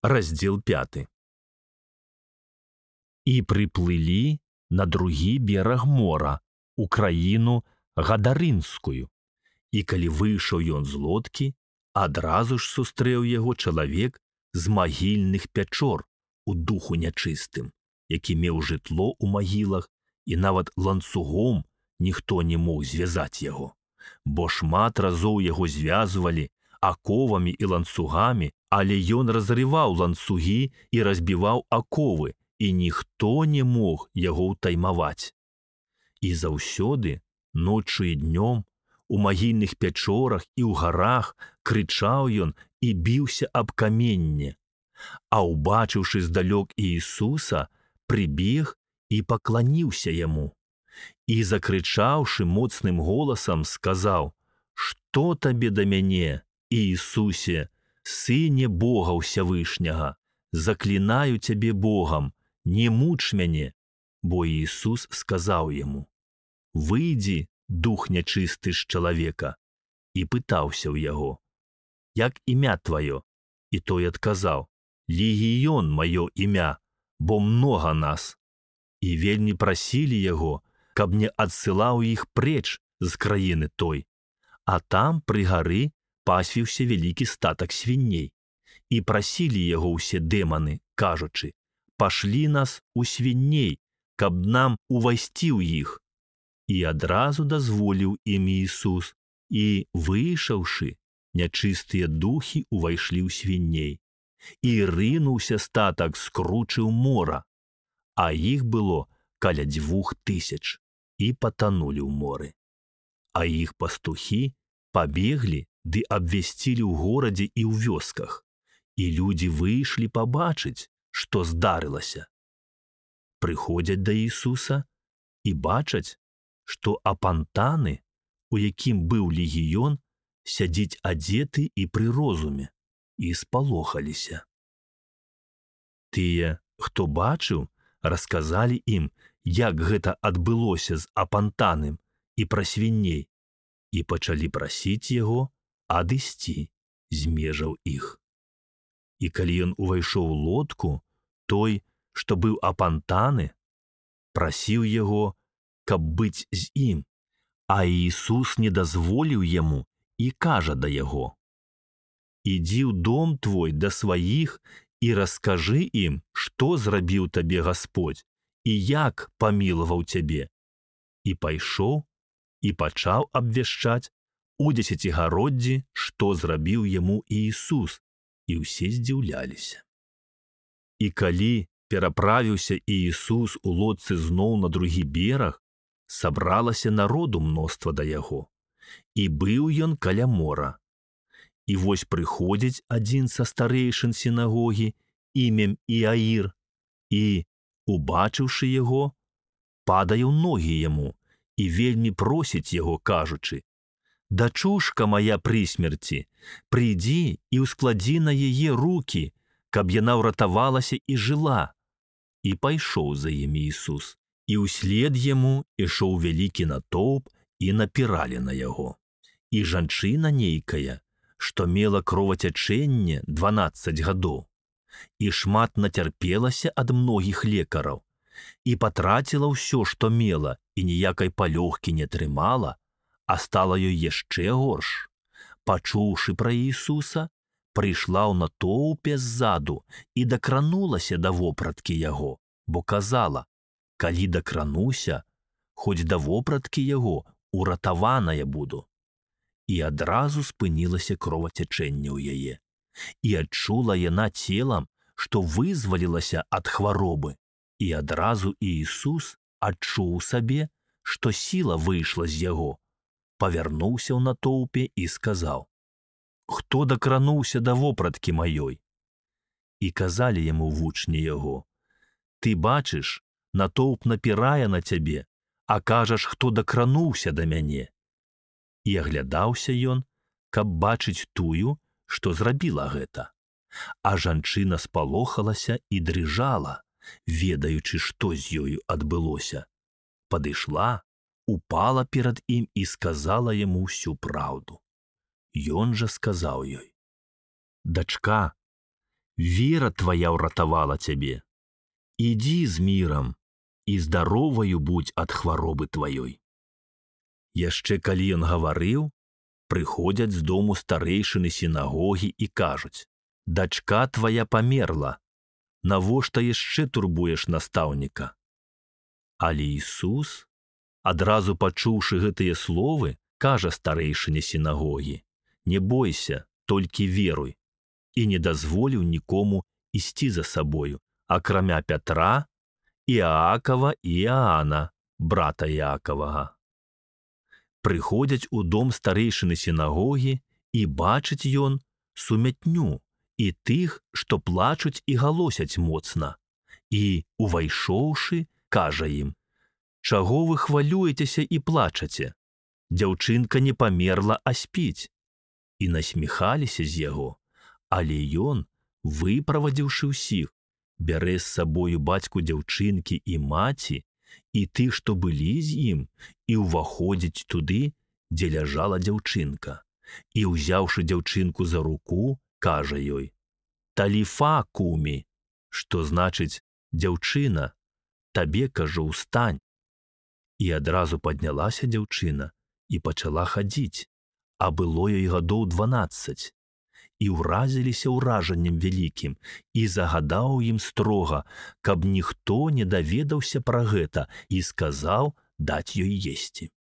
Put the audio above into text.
Раздзел 5. І прыплылі на другі бераг мора, у краіну Гадарынскую. І калі выйшаў ён з лодкі, адразу ж сустрэў яго чалавек з магільных пячор у духу нячыстым, які меў жытло ў магілах, і нават ланцугом ніхто не мог звязаць яго, бо шмат разоў яго звязвалі аковамі і ланцугамі, але ён разрываў ланцугі і разбіваў аковы, і ніхто не мог яго ўтаймаваць. І заўсёды, ноччу і днём, у магільных пячорах і ў гарах крычаў ён і біўся аб каменне. А ўбачыўшы здалёк Іісуса, прыбег і пакланіўся яму. І, закрычаўшы моцным голасам, сказаў: «Што табе да мяне, Іісусе, Сыне Бога Ўсявышняга? Заклінаю цябе Богам, не муч мяне». Бо Іісус сказаў яму: «Выйдзі, дух нячысты з чалавека». І пытаўся ў яго: «Як імя тваё?» І той адказаў: «Легіён маё імя, бо многа нас». І вельмі прасілі яго, каб не адсылаў іх преч з краіны той. А там пры гары пасвіўся вялікі статак свіней. І прасілі яго ўсе дэманы, кажучы: «Пашлі нас у свіней, каб нам увайсці ў іх». І адразу дазволіў ім Іісус, і, выйшаўшы, нячыстыя духі увайшлі ў свіней. І рынуўся статак з кручы ў мора, а іх было каля 2000, і патанулі ў моры. А іх пастухі пабеглі ды абвясцілі ў горадзе і ў вёсках, і людзі выйшлі пабачыць, што здарылася. Прыходзяць да Ісуса і бачаць, што апантаны, у якім быў легіён, сядзіць адзеты і пры розуме, і спалохаліся. Тыя, хто бачыў, расказалі ім, як гэта адбылося з апантаным і пра свіней, і пачалі прасіць яго адысці з межаў іх. І калі ён увайшоў у лодку, той, што быў апантаны, прасіў яго, каб быць з ім, а Іісус не дазволіў яму і кажа да яго: «Ідзі ў дом твой да сваіх і раскажы ім, што зрабіў табе Гасподзь і як памілаваў цябе». І пайшоў і пачаў абвяшчаць у дзесяцігароддзі, што зрабіў яму Іісус, і ўсе здзіўляліся. І калі пераправіўся Іісус у лодцы зноў на другі бераг, сабралася народу мноства да яго, і быў ён каля мора. І вось прыходзіць адзін са старэйшын сінагогі імем Іаір, і, убачыўшы яго, падае ў ногі яму і вельмі просіць яго, кажучы: «Дачушка моя пры смерці, прыйдзі і ўскладзі на яе рукі, каб яна ўратавалася і жыла». І пайшоў за ім Іісус, і ўслед яму ішоў вялікі натоўп, і напіралі на яго. І жанчына нейкая, што мела кровацячэнне 12 гадоў, і шмат нацярпелася ад многіх лекараў, і патраціла ўсё, што мела, і ніякай палёгкі не трымала, а стала ёй яшчэ горш. Пачуўшы пра Іісуса, прыйшла ў натоўпе ззаду і дакранулася да вопраткі яго, бо казала: «Калі дакрануся, хоць да вопраткі яго уратаваная буду». І адразу спынілася кровацячэнне ў яе, і адчула яна целам, што вызвалілася ад хваробы, і адразу Іісус адчуў сабе, што сіла выйшла з яго, павярнуўся ў натоўпе і сказаў: «Хто дакрануўся да вопраткі маёй?» І казалі яму вучні яго: «Ты бачыш, натоўп напірае на цябе, а кажаш, хто дакрануўся да мяне». І аглядаўся ён, каб бачыць тую, што зрабіла гэта. А жанчына спалохалася і дрыжала, ведаючы, што з ёю адбылося. Падышла, упала перад ім і сказала яму ўсю праўду. Ён жа сказаў ёй: «Дачка, вера твоя ўратавала цябе. Ідзі з мірам, і здароваю будзь ад хваробы тваёй. Яшчэ калі ён гаварыў, прыходзяць з дому старэйшыны сінагогі і кажуць: «Дачка твая памерла, навошта яшчэ турбуеш настаўніка?» Але Ісус, адразу пачуўшы гэтыя словы, кажа старэйшыне сінагогі: «Не бойся, толькі веруй», і не дазволіў нікому ісці за сабою, акрамя Пятра, Іакава і Іаана, брата Іакавага. Прыходзяць у дом старэйшыны сінагогі, і бачыць ён сумятню і тых, што плачуць і галосяць моцна. І, увайшоўшы, кажа ім: «Чаго вы хвалюецеся і плачаце? Дзяўчынка не памерла, а спіць». І насміхаліся з яго, але ён, выправадзіўшы ўсіх, бярэ з сабою бацьку дзяўчынкі і маці, і тых, што былі з ім, і ўваходзіць туды, дзе ляжала дзяўчынка. І, ўзяўшы дзяўчынку за руку, кажа ёй: «Таліфа кумі», што значыць: «Дзяўчына, табе, кажу, устань». І адразу паднялася дзяўчына і пачала хадзіць, а было ёй гадоў 12. І ўразіліся ўражаннем вялікім, і загадаў ім строга, каб ніхто не даведаўся пра гэта, і сказаў даць ёй есці.